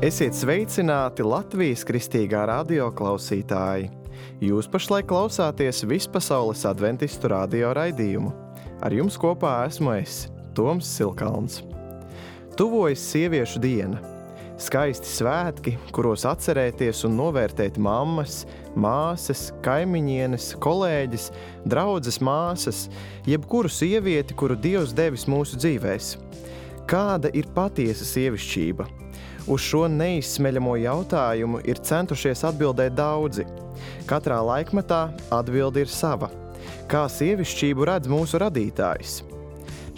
Esiet sveicināti Latvijas kristīgā radio klausītāji! Jūs pašlaik klausāties Vispasaules adventistu radio raidījumu. Ar jums kopā esmu es, Toms Silkalns. Tuvojas sieviešu diena. Skaisti svētki, kuros atcerēties un novērtēt mammas, māsas, kaimiņienes, kolēģis, draudzes māsas, jebkuru sievieti, kuru Dievs devis mūsu dzīvēs. Kāda ir patiesa sievišķība? Uz šo neizsmeļamo jautājumu ir centušies atbildēt daudzi. Katrā laikmetā atbilde ir sava. Kā sievišķību redz mūsu radītājs?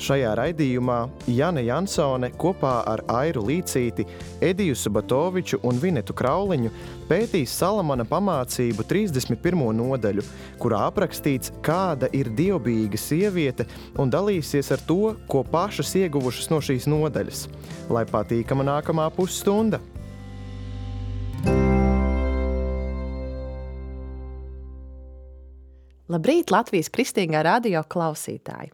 Šajā raidījumā Jane Jansone kopā ar Airu Līcīti, Ediju Subatoviču un Vinetu Krauliņu pētīs Salamana pamācību 31. nodaļu, kurā aprakstīts, kāda ir dievbijīga sieviete, un dalīsies ar to, ko pašas ieguvušas no šīs nodaļas. Lai patīkama nākamā pusstunda! Labrīt, Latvijas kristīgā radio klausītāji!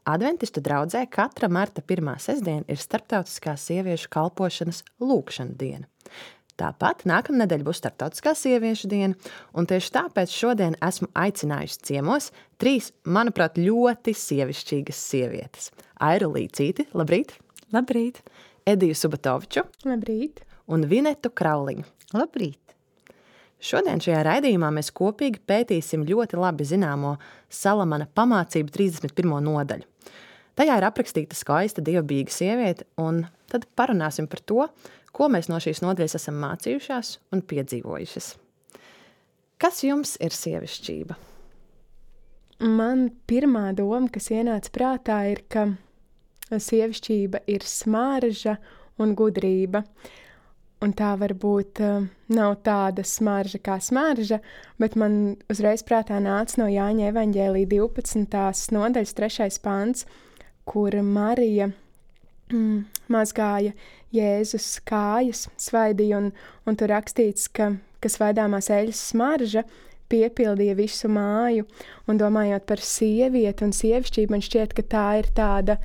Adventistu draudzē katra marta 1. sestdiena ir starptautiskā sieviešu kalpošanas lūgšana diena. Tāpat nākamnedēļ būs starptautiskā sieviešu diena, un tieši tāpēc šodien esmu aicinājusi ciemos 3, manuprāt, ļoti sievišķīgas sievietes. Airu Līcīti, labrīt! Labrīt! Ediju Subatoviču. Labrīt! Un Vinetu Krauliņu. Labrīt! Šodien šajā raidījumā mēs kopīgi pētīsim ļoti labi zināmo Salamana pamācību 31. nodaļu. Tajā ir aprakstīta skaista dievbijīga sieviete, un tad parunāsim par to, ko mēs no šīs nodaļas esam mācījušās un piedzīvojušas. Kas jums ir sievišķība? Man pirmā doma, kas ienāca prātā, ir, ka sievišķība ir smarža un gudrība. Un tā varbūt nav tāda smarža kā smarža, bet man uzreiz prātā nāca no Jāņa evaņģēlija 12. nodaļas 3. pants, kur Marija mazgāja Jēzus kājas, svaidīja, un tur rakstīts, ka svaidāmās eļas smarža piepildīja visu māju. Un domājot par sievieti un sievišķību, man šķiet, ka tā ir tāda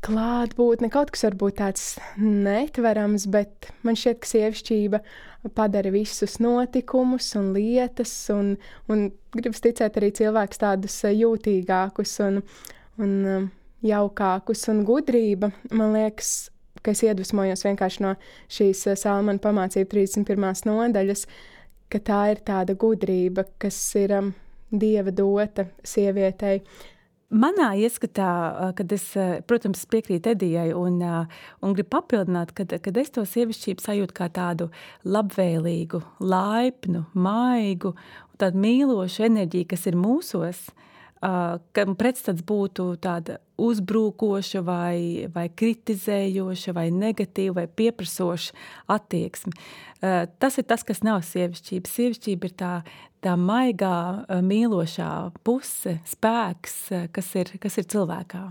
klātbūtne, kaut kas varbūt tāds netverams, bet man šķiet, ka sievišķība padara visus notikumus un lietas, un gribas ticēt arī cilvēkus tādus jūtīgākus un jaukākus, un gudrība, man liekas, ka es iedvesmojos vienkārši no šīs Salamana pamācību 31. nodaļas, ka tā ir tāda gudrība, kas ir Dieva dota sievietei. Manā ieskatā, kad es, protams, piekrītu Edijai un gribu papildināt, kad es to sievišķību sajūtu kā tādu labvēlīgu, laipnu, maigu, tādu mīlošu enerģiju, kas ir mūsos, kam pretstats būtu tāda uzbrūkoša vai kritizējoša vai negatīva vai pieprasoša attieksme. Tas ir tas, kas nav sievišķība. Sievišķība ir tā maigā, mīlošā puse, spēks, kas ir cilvēkā.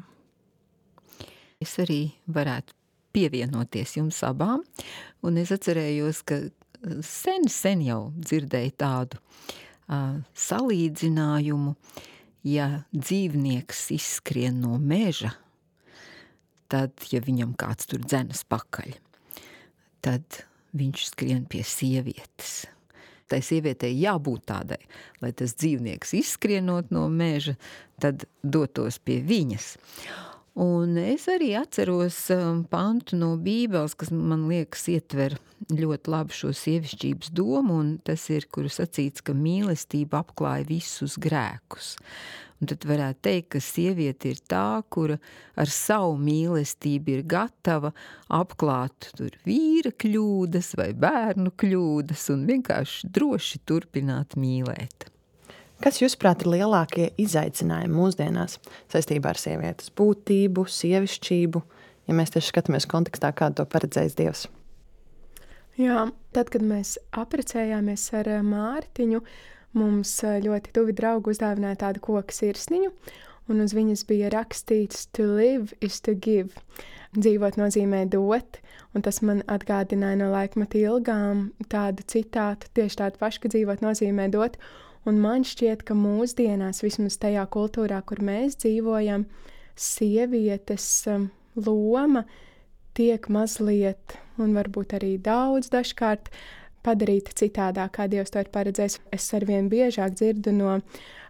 Es arī varētu pievienoties jums abām, un es atcerējos, ka sen jau dzirdēju tādu salīdzinājumu. Ja dzīvnieks izskrien no meža, tad, ja viņam kāds tur dzenas pakaļ, tad viņš skrien pie sievietes. Tai sievietei jābūt tādai, lai tas dzīvnieks izskrienot no meža, tad dotos pie viņas. Un es arī atceros pantu no Bībeles, kas man liekas ietver ļoti labi šo sievišķības domu, un tas ir, kur sacīts, ka mīlestība apklāja visus grēkus. Un tad varētu teikt, ka sieviete ir tā, kura ar savu mīlestību ir gatava apklāt tur vīra kļūdas vai bērnu kļūdas un vienkārši droši turpināt mīlēt. Kas, jūsuprāt, ir lielākie izaicinājumi mūsdienās saistībā ar sievietes būtību, sievišķību, ja mēs tieši skatāmies kontekstā, kādu to paredzējis Dievs? Jā, tad, kad mēs apprecējāmies ar Mārtiņu, mums ļoti tuvi draugi uzdāvināja tādu koka sirsniņu, un uz viņas bija rakstīts "To live is to give". Dzīvot nozīmē dot, un tas man atgādināja no laikmeta ilgām tādu citātu, tieši tādu pašu, ka dzīvot nozīmē dot. Un man šķiet, ka mūsdienās, vismaz tajā kultūrā, kur mēs dzīvojam, sievietes loma tiek mazliet, un varbūt arī daudz dažkārt, padarīta citādāk, kā Dievs to ir paredzējis. Es arvien biežāk dzirdu no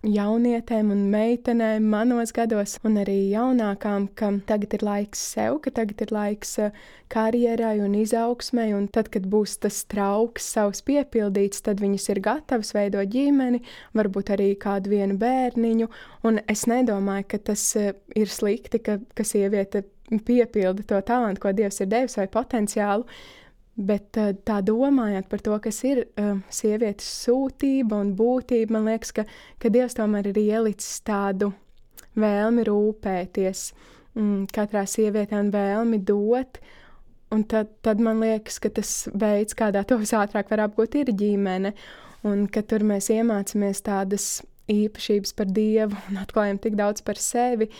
jaunietēm un meitenēm manos gados, un arī jaunākām, ka tagad ir laiks sev, ka tagad ir laiks karjerai un izaugsmai, un tad, kad būs tas trauks savs piepildīts, tad viņas ir gatavas veidot ģimeni, varbūt arī kādu vienu bērniņu, un es nedomāju, ka tas ir slikti, ka sieviete piepilda to talantu, ko Dievs ir devis vai potenciālu, bet tā domājot par to, kas ir sievietes sūtība un būtība, man liekas, ka Dievs tomēr ir ielicis tādu vēlmi rūpēties katrā sievietē un vēlmi dot, un tad man liekas, ka tas veids, kādā to visātrāk var apgūt, ir ģimene, un ka tur mēs iemācāmies tādas īpašības par Dievu un atklājam tik daudz par sevi,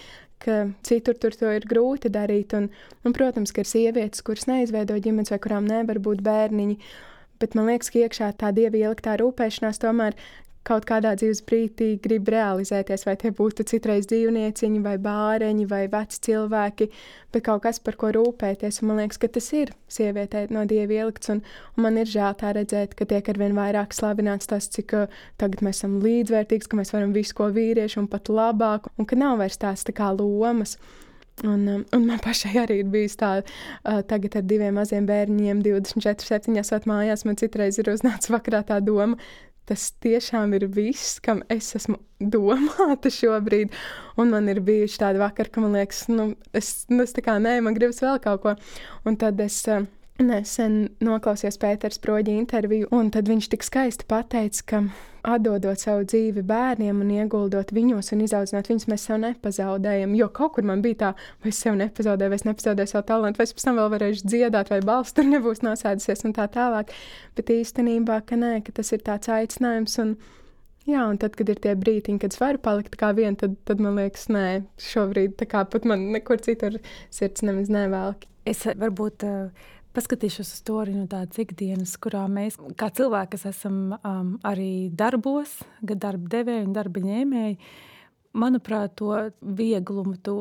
ka citur tur to ir grūti darīt, un, protams, ka ir sievietes, kuras neizveido ģimenes vai kurām nevar būt bērniņi, bet man liekas, ka iekšā tā Dieva ieliktā rūpēšanās tomēr kaut kādā dzīves brīdī grib realizēties, vai tie būtu citreiz dzīvnieciņi, vai bāreņi, vai veci cilvēki, bet kaut kas, par ko rūpēties, un man liekas, ka tas ir sievietē no Dieva ielikts, un man ir žēl tā redzēt, ka tiek arvien vairāk slavināts tas, cik tagad mēs esam līdzvērtīgs, ka mēs varam visu, ko vīrieši, un pat labāk, un ka nav vairs tās tā kā lomas. Un man pašai arī ir bijis tā, tagad ar 2 maziem bērniņiem, 24/7 esot mājās, man citreiz ir uznācis vakarā tā doma, tas tiešām ir viss, kam es esmu domāta šobrīd, un man ir bijuši tādi vakari, ka man liekas, es tā kā nē, man gribas vēl kaut ko, un tad es nesen noklausījos Pētera Sproģa interviju, un tad viņš tik skaisti pateica, ka atdodot savu dzīvi bērniem un ieguldot viņos un izaudzinot viņus, mēs sev nepazaudējam, jo kaut kur man bija tā, vai es sev nepazaudēju, vai es nepazaudēju savu talantu, vai es pēc tam vēl varēšu dziedāt, vai balss tur nebūs nosēdusies un tā tālāk, bet īstenībā, ka nē, ka tas ir tāds aicinājums, un jā, un tad, kad ir tie brītiņi, kad es varu palikt kā vien, tad man liekas, nē, šobrīd tā kā pat man nekur citur sirds nemaz nevelk. Es varbūt paskatīšos uz to arī no tādas ikdienas, kurā mēs, kā cilvēki, kas esam arī darbos, gan darba devēji un darba ņēmēji, manuprāt, to vieglumu, to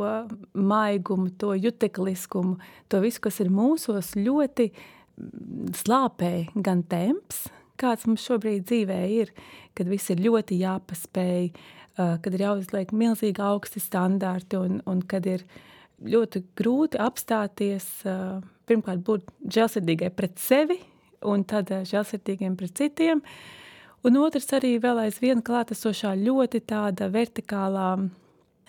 maigumu, to jutekliskumu, to visu, kas ir mūsos, ļoti slāpē gan temps, kāds mums šobrīd dzīvē ir, kad viss ir ļoti jāpaspēj, kad ir jāuzliek milzīgi augsti standarti un kad ir ļoti grūti apstāties, pirmkārt būt žēlsirdīgai pret sevi un tad žēlsirdīgiem pret citiem. Un otrs arī vēl aizvien klātesošā ļoti tāda vertikālā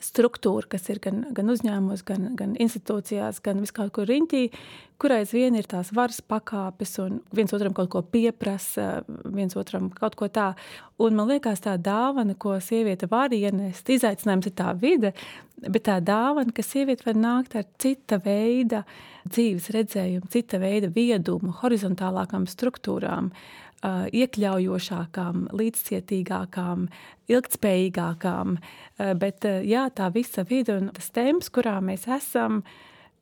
struktūra, kas ir gan uzņēmumos, gan institūcijās, gan viskaut kur riņķī, kur aizvien ir tās varas pakāpes un viens otram kaut ko pieprasa, viens otram kaut ko tā. Un man liekas tā dāvana, ko sieviete var ienest, izaicinājums ir tā vide, bet tā dāvana, ka sieviete var nākt ar cita veida dzīves redzējumu, cita veida viedumu, horizontālākām struktūrām, iekļaujošākām, līdzcietīgākām, ilgtspējīgākām, bet jā, tā visa vide un tas temps, kurā mēs esam,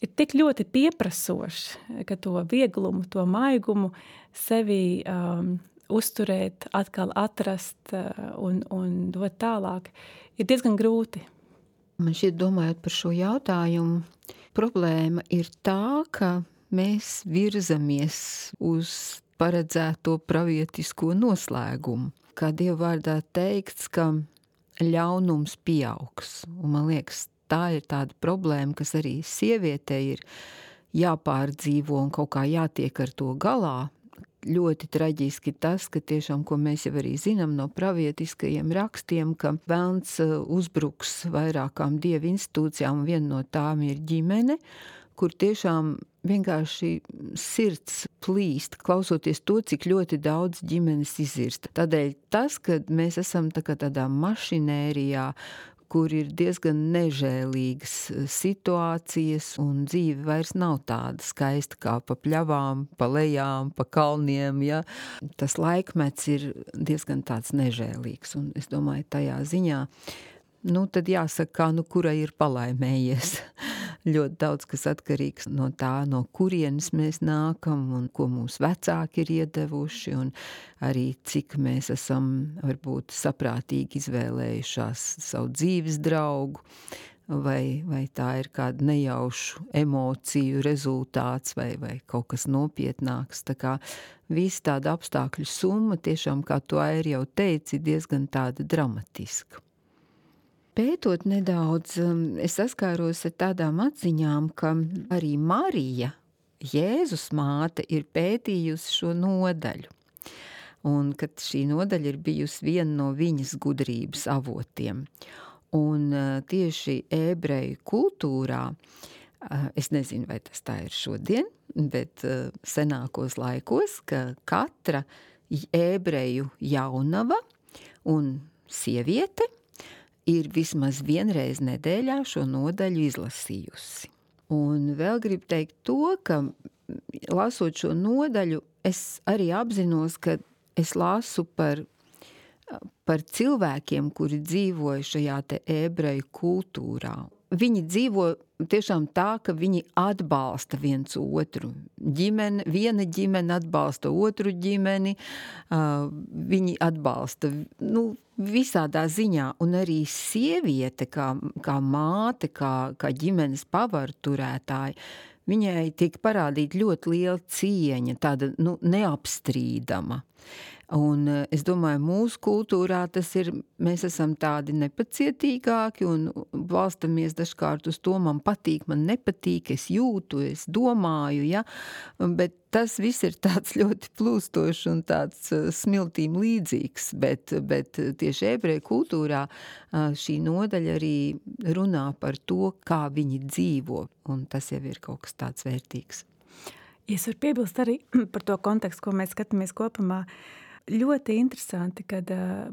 ir tik ļoti pieprasošs, ka to vieglumu, to maigumu sevi uzturēt, atkal atrast un dot tālāk, ir diezgan grūti. Man šķiet, domājot par šo jautājumu, problēma ir tā, ka mēs virzamies uz paredzēto pravietisko noslēgumu. Kā Dieva vārdā teikts, ka ļaunums pieaugs. Un man liekas, tā ir tāda problēma, kas arī sievietei ir jāpārdzīvo un kaut kā jātiek ar to galā. Ļoti traģiski tas, ka tiešām, ko mēs jau arī zinām no pravietiskajiem rakstiem, ka velns uzbruks vairākām Dieva institūcijām, un viena no tām ir ģimene, kur tiešām vienkārši sirds plīst, klausoties to, cik ļoti daudz ģimenes izirsta. Tādēļ tas, ka mēs esam tādā mašinērijā, kur ir diezgan nežēlīgas situācijas un dzīve vairs nav tāda skaista kā pa pļavām, pa lejām, pa kalniem, ja. Tas laikmets ir diezgan tāds nežēlīgs, un es domāju, tajā ziņā, tad jāsaka, kurai ir palaimējies. Ļoti daudz, kas atkarīgs no tā, no kurienes mēs nākam un ko mūsu vecāki ir iedevuši, un arī cik mēs esam varbūt saprātīgi izvēlējušās savu dzīves draugu. vai tā ir kāda nejaušu emociju rezultāts vai kaut kas nopietnāks. Tā kā visa tāda apstākļu summa tiešām, kā tu Airi jau teici, diezgan tāda dramatiska. Pētot nedaudz, es saskāros ar tādām atziņām, ka arī Marija, Jēzus māte, ir pētījusi šo nodaļu. Un kad šī nodaļa ir bijusi viena no viņas gudrības avotiem. Un tieši ebreju kultūrā, es nezinu, vai tas tā ir šodien, bet senākos laikos, ka katra ebreju jaunava un sieviete ir vismaz vienreiz nedēļā šo nodaļu izlasījusi. Un vēl gribu teikt to, ka lasot šo nodaļu, es arī apzinos, ka es lasu par cilvēkiem, kuri dzīvoja šajā te ebreju kultūrā. Viņi dzīvo tiešām tā, ka viņi atbalsta viens otru. Viena ģimene atbalsta otru ģimeni, viņi atbalsta visādā ziņā. Un arī sieviete, kā māte, kā ģimenes pavarturētāja, viņai tiek parādīta ļoti liela cieņa, tāda neapstrīdama. Un es domāju, mūsu kultūrā tas ir, mēs esam tādi nepacietīgāki un balstamies dažkārt uz to, man patīk, man nepatīk, es jūtu, es domāju, ja? Bet tas viss ir tāds ļoti plūstošs un tāds smiltīm līdzīgs, bet tieši ebreju kultūrā šī nodaļa arī runā par to, kā viņi dzīvo, un tas jau ir kaut kas tāds vērtīgs. Es varu piebilst arī par to kontekstu, ko mēs skatāmies kopumā. Ļoti interesanti, kad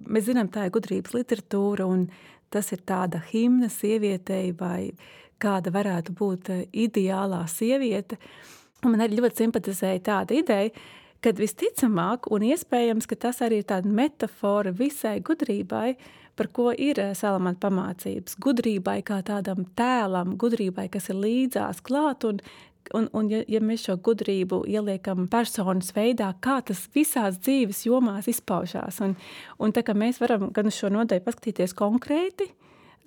mēs zinām, tā ir gudrības literatūra un tas ir tāda himna sievietei vai kāda varētu būt ideālā sieviete. Un man arī ļoti simpatizēja tāda ideja, kad visticamāk un iespējams, ka tas arī ir tāda metafora visai gudrībai, par ko ir Salamana pamācības. Gudrībai kā tādam tēlam, gudrībai, kas ir līdzās klāt un ja mēs šo gudrību ieliekam personas veidā, kā tas visās dzīves jomās izpaužās. Un tā kā mēs varam gan uz šo nodaļu paskatīties konkrēti,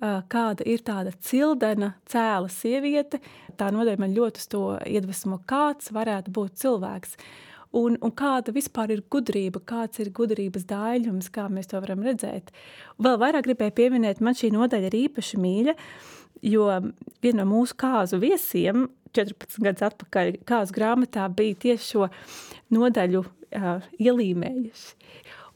kāda ir tāda cildena, cēla sieviete, tā nodaļa man ļoti uz to iedvesmo, kāds varētu būt cilvēks. Un kāda vispār ir gudrība, kāds ir gudrības daļums, kā mēs to varam redzēt. Vēl vairāk gribēju pieminēt, man šī nodaļa ir īpaši mīļa, jo viena no mūsu kāzu viesiem 14 gadus atpakaļ kāzu grāmatā bija tieši šo nodaļu ielīmējuši.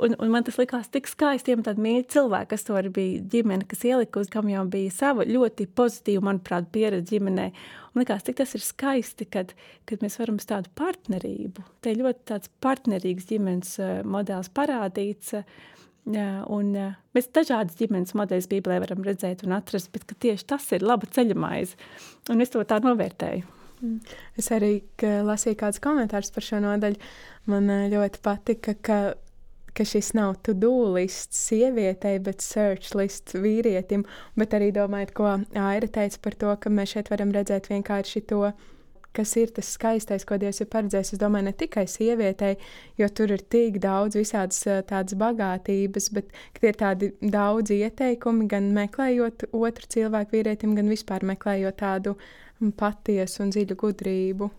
Un man tas likās tik skaisti, tādi mīļi cilvēki, kas to arī bija ģimene, kas ielika, kam jau bija sava ļoti pozitīva, manuprāt, pieredze ģimenē. Un likās, tik tas ir skaisti, kad mēs varam uz tādu partnerību. Te ļoti tāds partnerīgs ģimenes modelis parādīts, un mēs dažādas ģimenes modeļus Bībelē varam redzēt un atrast, bet ka tieši tas ir laba ceļamaize. Un es to tā novērtēju. Es arī lasīju kādus komentārus par šo nodaļu. Man ļoti patika, ka šis nav to-do lists sievietei, bet search lists vīrietim, bet arī domājot, ko Aira teica par to, ka mēs šeit varam redzēt vienkārši to, kas ir tas skaistais, ko Dievs ir paredzējis. Es domāju, ne tikai sievietei, jo tur ir tik daudz visādas tādas bagātības, bet ir tādi daudz ieteikumi, gan meklējot otru cilvēku vīrietim, gan vispār meklējot tādu patiesu un dziļu gudrību.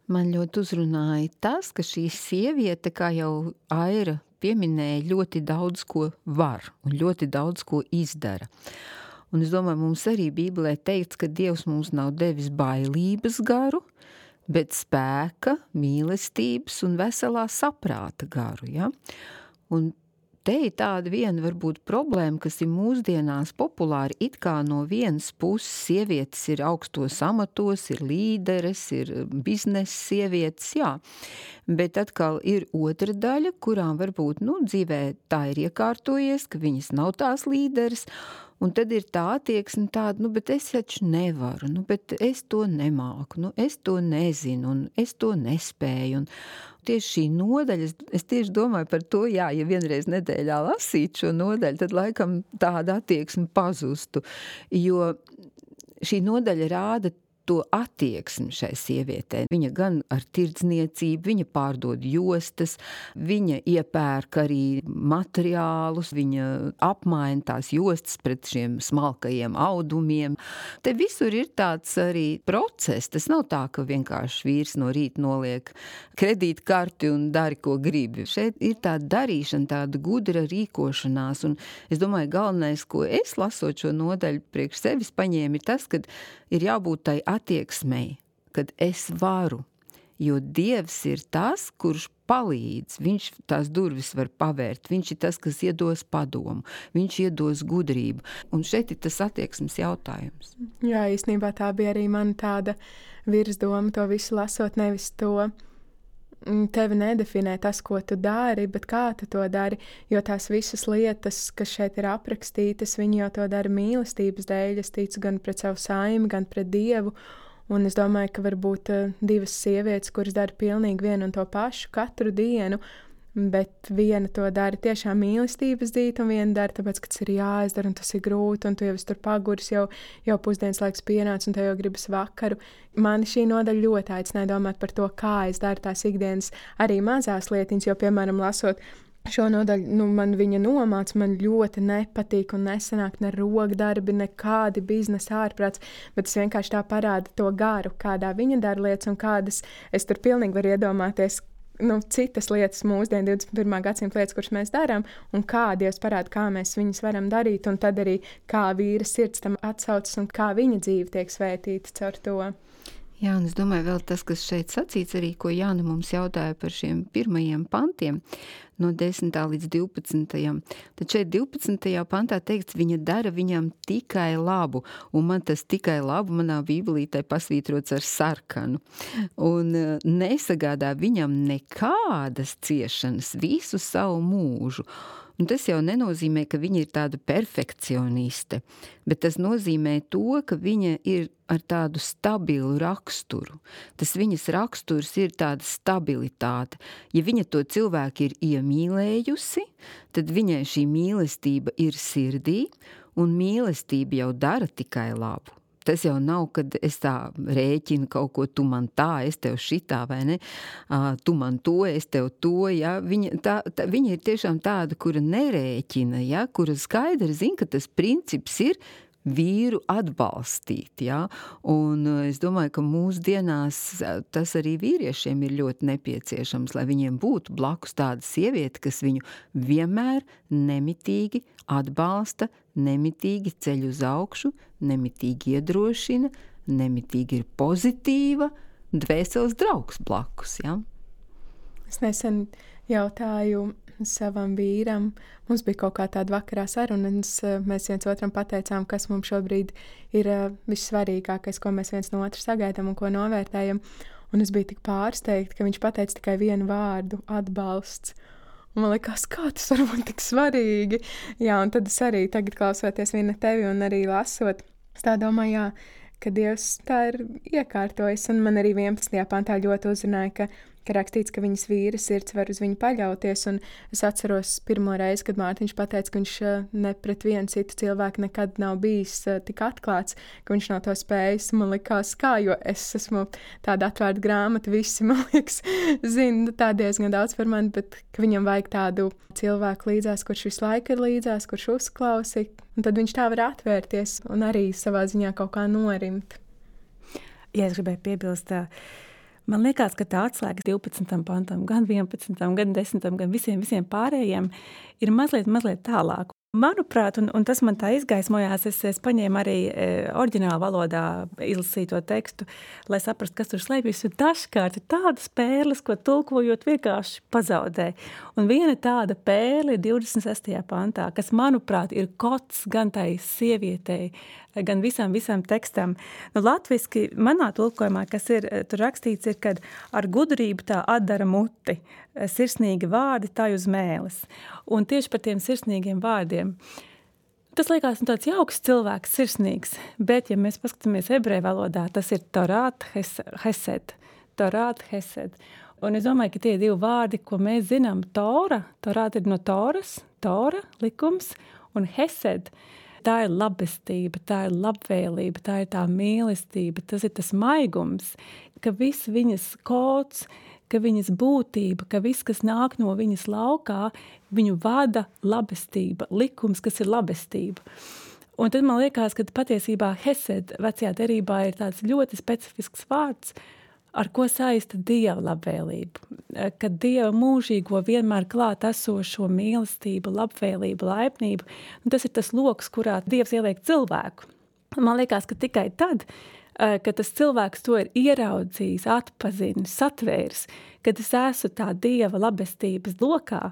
Man ļoti uzrunāja tas, ka šī sieviete, kā jau Aira pieminēja, ļoti daudz ko var un ļoti daudz ko izdara. Un es domāju, mums arī Bībelē teikts, ka Dievs mums nav devis bailības garu, bet spēka, mīlestības un veselā saprāta garu. Ja? Un te ir tāda viena varbūt problēma, kas ir mūsdienās populāri, it kā no vienas puses sievietes ir augstos amatos, ir līderes, ir biznesa sievietes, jā. Bet atkal ir otra daļa, kurām varbūt dzīvē tā ir iekārtojies, ka viņas nav tās līderes, un tad ir tā attieksme tāda, bet es taču nevaru, bet es to nemāku, es to nezinu, un es to nespēju. Un tieši šī nodaļa, es tieši domāju par to, ja vienreiz nedēļā lasītu šo nodaļu, tad laikam tāda attieksme pazustu, jo šī nodaļa rāda to attieksmi šai sievietei. Viņa gan ar tirdzniecību, viņa pārdod jostas, viņa iepērk arī materiālus, viņa apmaina tās jostas pret šiem smalkajiem audumiem. Te visur ir tāds arī process. Tas nav tā, ka vienkārši vīrs no rīta noliek kredītkarti un dari, ko gribi. Šeit ir tāda darīšana, tāda gudra rīkošanās, un es domāju, galvenais, ko es lasot šo nodaļu priekš sevis paņēmu, ir tas, ka ir jābūt tai attieksmei, kad es varu, jo Dievs ir tas, kurš palīdz, viņš tās durvis var pavērt, viņš ir tas, kas iedos padomu, viņš iedos gudrību, un šeit ir tas attieksmes jautājums. Jā, īstenībā tā bija arī man tāda virsdoma, to visu lasot, nevis to tevi nedefinē tas, ko tu dari, bet kā tu to dari, jo tās visas lietas, kas šeit ir aprakstītas, viņi jau to dara mīlestības dēļ, es ticu gan pret savu saimi, gan pret Dievu, un es domāju, ka varbūt divas sievietes, kuras dara pilnīgi vienu un to pašu katru dienu, bet viena to dara tiešām mīlestības dīt, un viena dara tāpēc, ka tas ir jāizdara, un tas ir grūti, un tu jau esi tur paguris, jau pusdienas laiks pienāc, un tev jau gribas vakaru. Mani šī nodaļa ļoti aicināja domāt par to, kā es daru tās ikdienas arī mazās lietiņas, jo, piemēram, lasot šo nodaļu, man viņa nomāc, man ļoti nepatīk un nesanāk ne rokdarbi, nekādi biznesa ārprāts, bet es vienkārši tā parāda to garu, kādā viņa dara lietas, un kādas es tur pilnīgi varu iedomāties, citas lietas mūsdienu 21. gadsimta lietas, kuras mēs darām, un kā Dievs parāda, kā mēs viņas varam darīt, un tad arī kā vīra sirds tam atsaucas, un kā viņa dzīve tiek svētīta caur to. Jā, un es domāju, vēl tas, kas šeit sacīts arī, ko Jāna mums jautāja par šiem pirmajiem pantiem, no 10. līdz 12. Tad šeit 12. pantā teikts, viņa dara viņam tikai labu, un man tas tikai labu manā bībelītē pasvītrots ar sarkanu. Un nesagādā viņam nekādas ciešanas visu savu mūžu. Un tas jau nenozīmē, ka viņa ir tāda perfekcioniste, bet tas nozīmē to, ka viņa ir ar tādu stabilu raksturu. Tas viņas raksturs ir tāda stabilitāte. Ja viņa to cilvēku ir iemīlējusi, tad viņai šī mīlestība ir sirdī, un mīlestība jau dara tikai labu. Tas jau nav, kad es tā rēķinu kaut ko, tu man tā, es tev šitā, vai ne? Tu man to, es tev to, ja? Viņa ir tiešām tāda, kura nerēķina, ja? Kura skaidri zina, ka tas princips ir vīru atbalstīt, ja? Un es domāju, ka mūsdienās tas arī vīriešiem ir ļoti nepieciešams, lai viņiem būtu blakus tāda sieviete, kas viņu vienmēr nemitīgi atbalsta, nemitīgi ceļ uz augšu, nemitīgi iedrošina, nemitīgi ir pozitīva, dvēseles draugs blakus, ja? Es nesen jautāju savam vīram, mums bija kaut kā tāda vakarā saruna, un mēs viens otram pateicām, kas mums šobrīd ir vissvarīgākais, ko mēs viens no otra sagaidām un ko novērtējam, un es biju tik pārsteigta, ka viņš pateica tikai vienu vārdu – atbalsts. Un man likās, kā tas var būt tik svarīgi. Jā, un tad es arī tagad klausoties viena tevi un arī lasot, es tā domāju, jā, ka Dievs tā ir iekārtojis, un man arī 11. pantā ļoti uzrunāja, ka rakstīts, ka viņas vīra sirds var uz viņu paļauties, un es atceros pirmo reizi, kad Mārtiņš pateica, ka viņš ne pret vienu citu cilvēku nekad nav bijis tik atklāts, ka viņš nav to spējis. Man likās, kā, jo es esmu tāda atvērta grāmata, visi, man liekas, zina tā diezgan daudz par mani, bet ka viņam vajag tādu cilvēku līdzās, kurš visu laiku ir līdzās, kurš uzklausi, un tad viņš tā var atvērties un arī savā ziņā kaut kā norimt. Ja es gribēju piebilst, man liekas, ka tā atslēga 12. pantam, gan 11., gan 10., gan visiem pārējiem ir mazliet tālāk. Manuprāt, un tas man tā izgaismojās, es paņēmu arī oriģināla valodā izlasīto tekstu, lai saprastu, kas tur slēpjas, un dažkārt ir tādas pērles, ko tulkojot vienkārši pazaudē. Un viena tāda pērle ir 26. pantā, kas, manuprāt, ir kods gan tai sievietei, gan visam tekstam. Latviski manā tulkojumā, kas ir tur rakstīts, ir, kad ar gudrību tā atdara muti, sirsnīgi vārdi tā uz mēles. Un tieši par tiem sirsnīgiem vārdiem. Tas liekas tāds jauks cilvēks, sirsnīgs, bet, ja mēs paskatāmies ebreju valodā, tas ir torāt hesed. Torāt hesed. Un es domāju, ka tie divi vārdi, ko mēs zinām, torāt ir no toras, tora, likums, un hesed. tā ir labestība, tā ir labvēlība, tā ir tā mīlestība, tas ir tas maigums, ka viss viņas kods, ka viņas būtība, ka viss, kas nāk no viņas laukā, viņu vada labestība, likums, kas ir labestība. Un tad man liekas, ka patiesībā hesed vecajā derībā ir tāds ļoti specifisks vārds, ar ko saista Dieva labvēlību. Kad Dieva mūžīgo vienmēr klāt esošo mīlestību, labvēlību, laipnību, un tas ir tas loks, kurā Dievs ieliek cilvēku. Man liekas, ka tikai tad, kad tas cilvēks to ir ieraudzījis, atpazinis, satvēris, kad es esmu tā Dieva labestības lokā,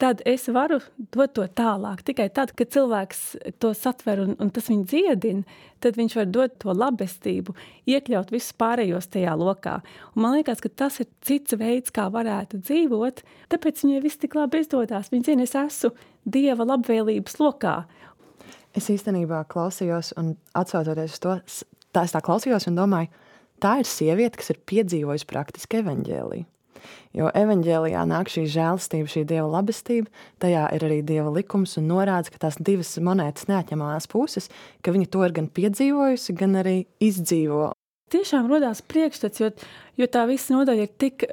tad es varu dot to tālāk. Tikai tad, kad cilvēks to satver un tas viņu dziedina, tad viņš var dot to labestību, iekļaut visus pārējos tajā lokā. Un man liekas, ka tas ir cits veids, kā varētu dzīvot, tāpēc viņai viss tik labi izdodās. Viņa zina, es esmu Dieva labvēlības lokā. Es īstenībā klausījos un atsaucoties uz to, es tā klausījos un domāju, tā ir sieviete, kas ir piedzīvojusi praktiski evaņģēliju. Jo evaņģēlijā nāk šī žēlastība, šī Dieva labestība, tajā ir arī Dieva likums un norādes, ka tās divas monētas neatņemamās puses, ka viņa to ir gan piedzīvojusi, gan arī izdzīvo. Tiešām rodās priekšstats, jo tā visa nodaļa ir tik,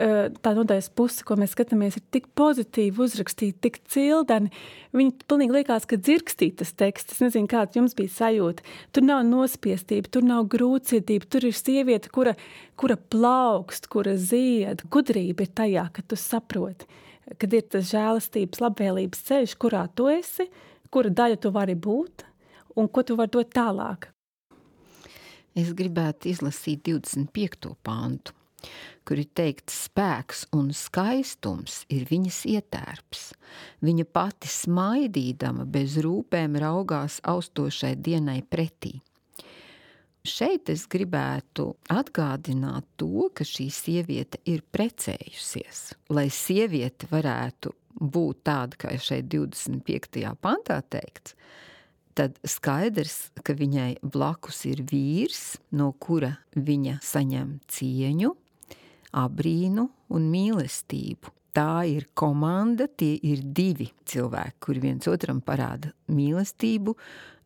tā nodaļas puse, ko mēs skatāmies, ir tik pozitīvi uzrakstīta, tik cildeni. Viņi pilnīgi liekas, ka dzirkstīt tas teksts. Es nezinu, kāds jums bija sajūta. Tur nav nospiestība, tur nav grūtsirdība, tur ir sieviete, kura plaukst, kura zied. Gudrība ir tajā, ka tu saproti, kad ir tas žēlastības, labvēlības ceļš, kurā tu esi, kura daļa tu vari būt un ko tu vari dot tālāk. Es gribētu izlasīt 25. pantu, kur ir teikts, spēks un skaistums ir viņas ietērps. Viņa pati smaidīdama bez rūpēm raugās austošai dienai pretī. Šeit es gribētu atgādināt to, ka šī sieviete ir precējusies. Lai sieviete varētu būt tāda, kā šeit 25. pantā teikts, tad skaidrs, ka viņai blakus ir vīrs, no kura viņa saņem cieņu, abrīnu un mīlestību. Tā ir komanda, tie ir divi cilvēki, kuri viens otram parāda mīlestību,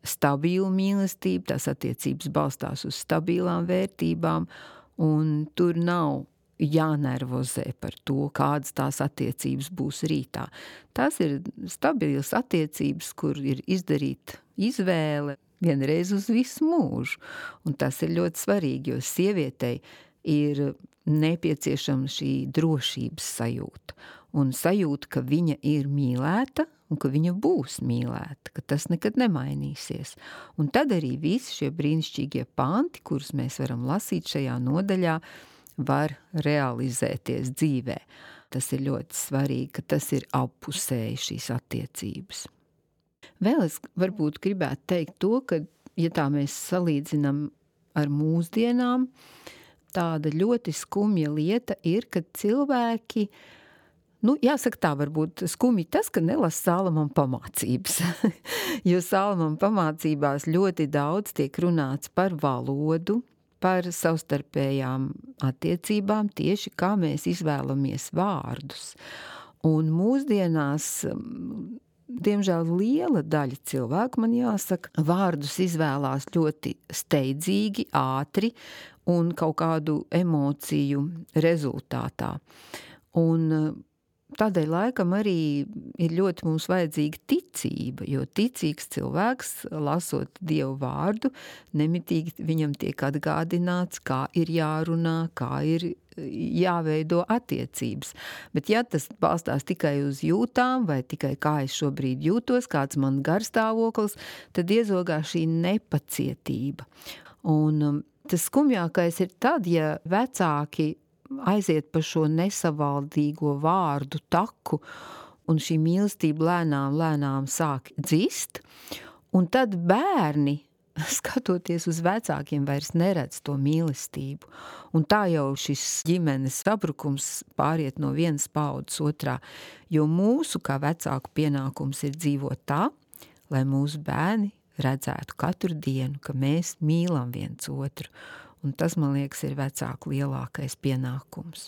stabilu mīlestību, tās attiecības balstās uz stabilām vērtībām, un tur nav jānervozē par to, kādas tās attiecības būs rītā. Tās ir stabilas attiecības, kur ir izdarīta izvēle vienreiz uz visu mūžu. Un tas ir ļoti svarīgi, jo sievietei ir nepieciešama šī drošības sajūta. Un sajūta, ka viņa ir mīlēta un ka viņa būs mīlēta, ka tas nekad nemainīsies. Un tad arī visi šie brīnišķīgie panti, kurus mēs varam lasīt šajā nodaļā, var realizēties dzīvē. Tas ir ļoti svarīgi, ka tas ir appusēji šīs attiecības. Vēl es varbūt gribētu teikt to, ka, ja tā mēs salīdzinām ar mūsdienām, tāda ļoti skumja lieta ir, ka cilvēki, jāsaka tā, varbūt skumji tas, ka nelasa Salamana pamācības. Jo Salamana pamācībās ļoti daudz tiek runāts par valodu, par savstarpējām attiecībām, tieši kā mēs izvēlamies vārdus. Un mūsdienās, diemžēl, liela daļa cilvēku, man jāsaka, vārdus izvēlās ļoti steidzīgi, ātri un kaut kādu emociju rezultātā. Un tādēļ laikam arī ir ļoti mums vajadzīga ticība, jo ticīgs cilvēks, lasot Dievu vārdu, nemitīgi viņam tiek atgādināts, kā ir jārunā, kā ir jāveido attiecības. Bet ja tas balstās tikai uz jūtām vai tikai kā es šobrīd jūtos, kāds man garstāvoklis, tad iezogā šī nepacietība. Un tas skumjākais ir tad, ja vecāki aiziet pa šo nesavaldīgo vārdu taku, un šī mīlestība lēnām sāk dzist, un tad bērni, skatoties uz vecākiem, vairs neredz to mīlestību. Un tā jau šis ģimenes sabrukums pāriet no vienas paudzes otrā, jo mūsu kā vecāku pienākums ir dzīvot tā, lai mūsu bērni redzētu katru dienu, ka mēs mīlam viens otru. Un tas, man liekas, ir vecāku lielākais pienākums.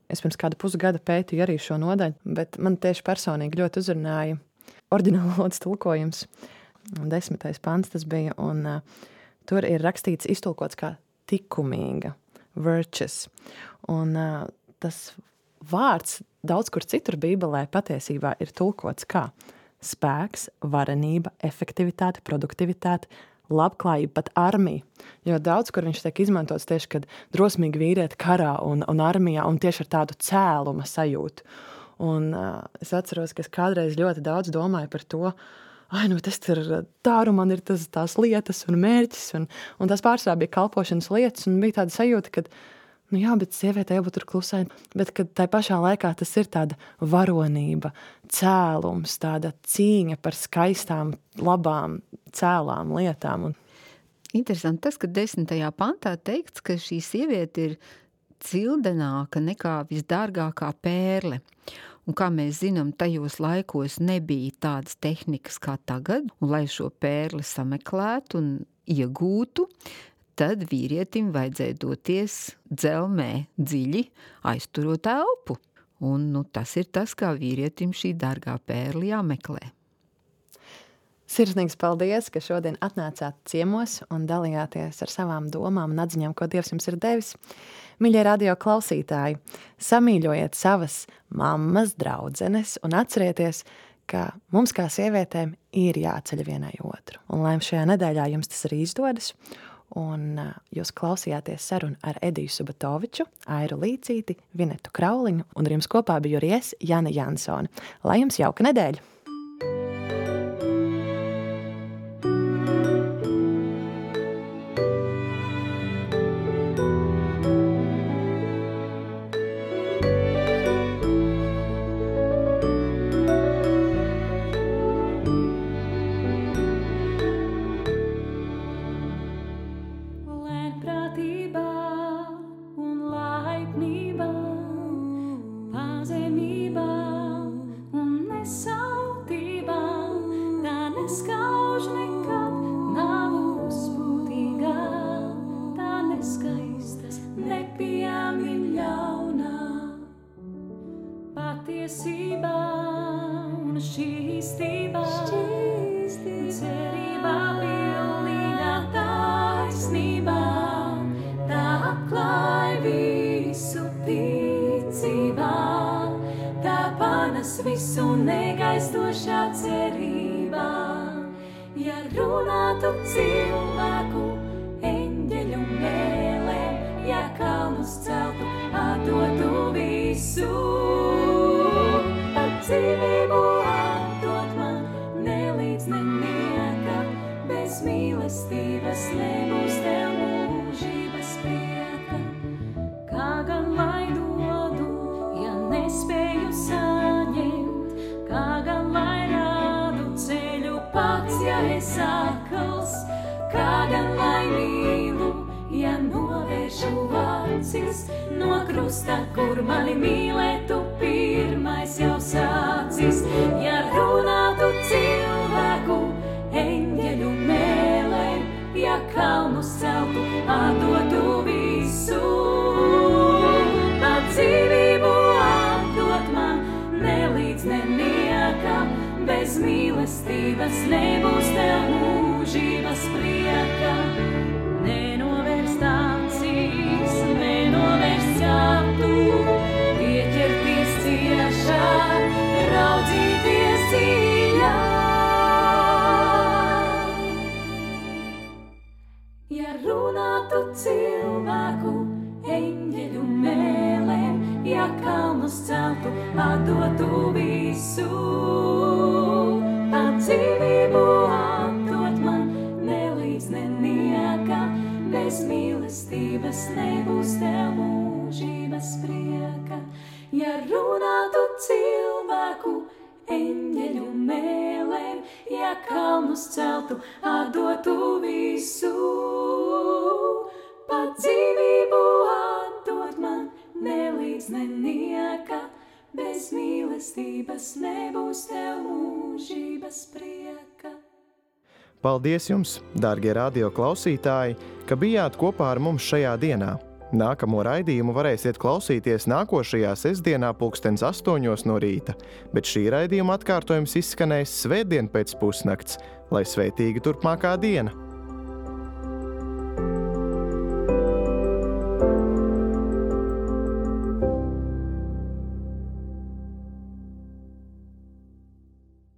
Es pirms kāda pusgada pētīju arī šo nodaļu, bet man tieši personīgi ļoti uzrunāja oriģināla valodas tulkojums. 10. pants tas bija, un tur ir rakstīts, iztulkots kā tikumīga, virtuous. Un tas vārds daudz kur citur Bībelē patiesībā ir tulkots kā spēks, varenība, efektivitāte, produktivitāte, labklājība, pat armija. Jo daudz, kur viņš tiek izmantots tieši, kad drosmīgi vīrieti karā un armijā, un tieši ar tādu cēluma sajūtu. Un es atceros, ka es kādreiz ļoti daudz domāju par to, tas ir tāru, man ir tās lietas un mērķis, un tās pārsvarā bija kalpošanas lietas, un bija tāda sajūta, ka bet sievietē jābūt tur klusai, bet kad tai pašā laikā tas ir tāda varonība, cēlums, tāda cīņa par skaistām, labām, cēlām lietām. Interesanti tas, ka 10. pantā teikts, ka šī sieviete ir cildenāka nekā visdārgākā pērle. Un kā mēs zinām, tajos laikos nebija tādas tehnikas kā tagad, un lai šo pērli sameklētu un iegūtu, tad vīrietim vajadzēja doties dzelmē dziļi, aizturot elpu. Un tas ir tas, kā vīrietim šī dārgā pērli jāmeklē. Sirsnīgs paldies, ka šodien atnācāt ciemos un dalījāties ar savām domām un atziņām, ko Dievs jums ir devis. Mīļie radio klausītāji, samīļojiet savas mammas, draudzenes un atcerieties, ka mums kā sievietēm ir jāceļ vienai otru. Un lai šajā nedēļā jums tas arī izdodas, un jūs klausījāties sarunu ar Ediju Subatoviču, Airu Līcīti, Vinetu Krauliņu, un ar jums kopā biju arī es, Jana Jansone. Lai jums jauka nedēļa! Visu negaistošā cerībā, ja runātu cilvēku eņģeļu mēlēm, ja kalnus celtu, atdotu visu. Pat dzīvību atdot man, nelīdz nenieka, bez mīlestības nebūs tev mūžības prieka. Kā gan lai dodu, ja nespēju saņemt, kā gan lai rādu ceļu pats, ja es akls, kā gan lai mīlu, ja novēršu acis no krusta, kur mani mīlētu pirmais jau sācis. Ja runātu cilvēku eņģeļu mēlēm, ja kalnus celtu, atdotu visu. Pat dzīvību atdot man, nelīdz nenieka, bez mīlestības nebūs tev mūžības prieka. Nenovērst acīs, nenovērst skatu, pieķerties ciešāk, raudzīties dziļāk. Ja runātu cilvēku eņģeļu mēlēm, ja kalnus celtu, atdotu visu. Pat dzīvību atdot man, nelīdz nenieka, bez mīlestības nebūs tev mūžības prieka. Ja runātu cilvēku eņģeļu mēlēm, ja kalnus celtu, atdotu visu. Pat dzīvību atdot man, nelīdz nenieka, bez mīlestības nebūs tev mūžības prieka. Paldies jums, dārgie radio klausītāji, ka bijāt kopā ar mums šajā dienā. Nākamo raidījumu varēsiet klausīties nākošajā sestdienā 8:00 no rīta, bet šī raidījuma atkārtojums izskanēs svētdien pēc pusnakts, lai svētīga turpmākā diena!